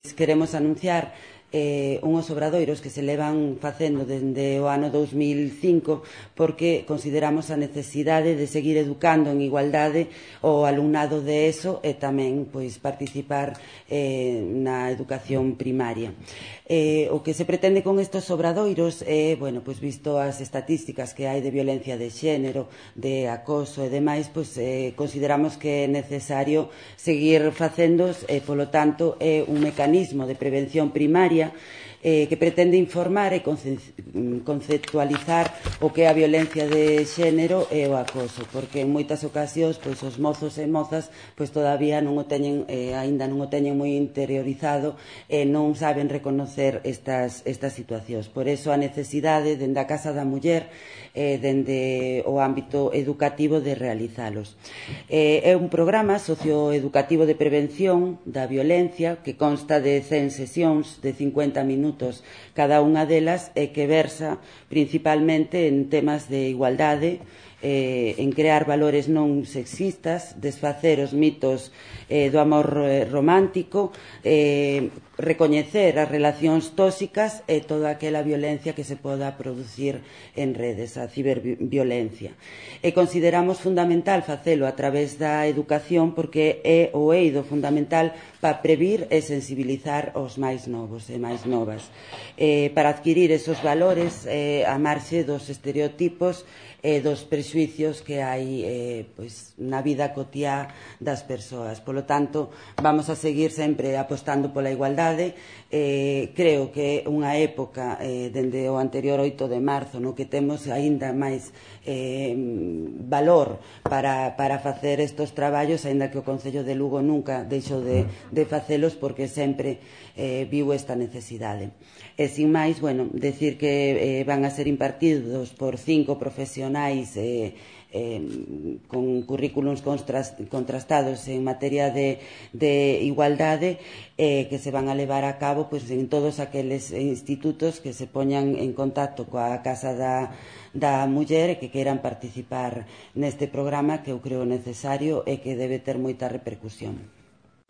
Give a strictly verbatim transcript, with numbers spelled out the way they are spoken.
Queremos anunciar eh, unhos obradoiros que se levan facendo dende o ano dous mil cinco porque consideramos a necesidade de seguir educando en igualdade o alumnado de ESO e tamén pois, participar eh, na educación primaria. Eh, o que se pretende con estes obradoiros é, bueno, pois, visto as estatísticas que hai de violencia de xénero, de acoso e demais, pois, eh, consideramos que é necesario seguir facendos e, polo tanto, é un mecanismo de prevención primaria Eh, que pretende informar e conceptualizar o que é a violencia de xénero e o acoso, porque en moitas ocasións pois, os mozos e mozas pois, todavía non o teñen, eh, ainda non o teñen moi interiorizado e non saben reconocer estas, estas situacións. Por eso a necesidade dende a Casa da Muller eh, dende o ámbito educativo de realizalos. Eh, é un programa socioeducativo de prevención da violencia que consta de cen sesións de cincuenta minutos cada unha delas e que versa principalmente en temas de igualdade, eh, en crear valores non sexistas, desfacer os mitos eh, do amor eh, romántico, eh, recoñecer as relacións tóxicas e toda aquela violencia que se poda producir en redes, a ciberviolencia. E consideramos fundamental facelo a través da educación porque é o eido fundamental para previr e sensibilizar os máis novos e máis novas. Eh, para adquirir esos valores eh, a marxe dos estereotipos e dos prexuicios que hai eh, pois, na vida cotiá das persoas. Polo tanto, vamos a seguir sempre apostando pola igualdade. Eh, creo que é unha época eh, dende o anterior oito de marzo no que temos aínda máis eh, valor para, para facer estes traballos, aínda que o Concello de Lugo nunca deixou de, de facelos porque sempre eh, viu esta necesidade. E, sin máis, bueno, decir que eh, van a ser impartidos por cinco profesionais eh, eh, con currículums contrastados en materia de, de igualdade eh, que se van a levar a cabo pues, en todos aqueles institutos que se poñan en contacto coa Casa da, da Muller e que queiran participar neste programa que eu creo necesario e que debe ter moita repercusión.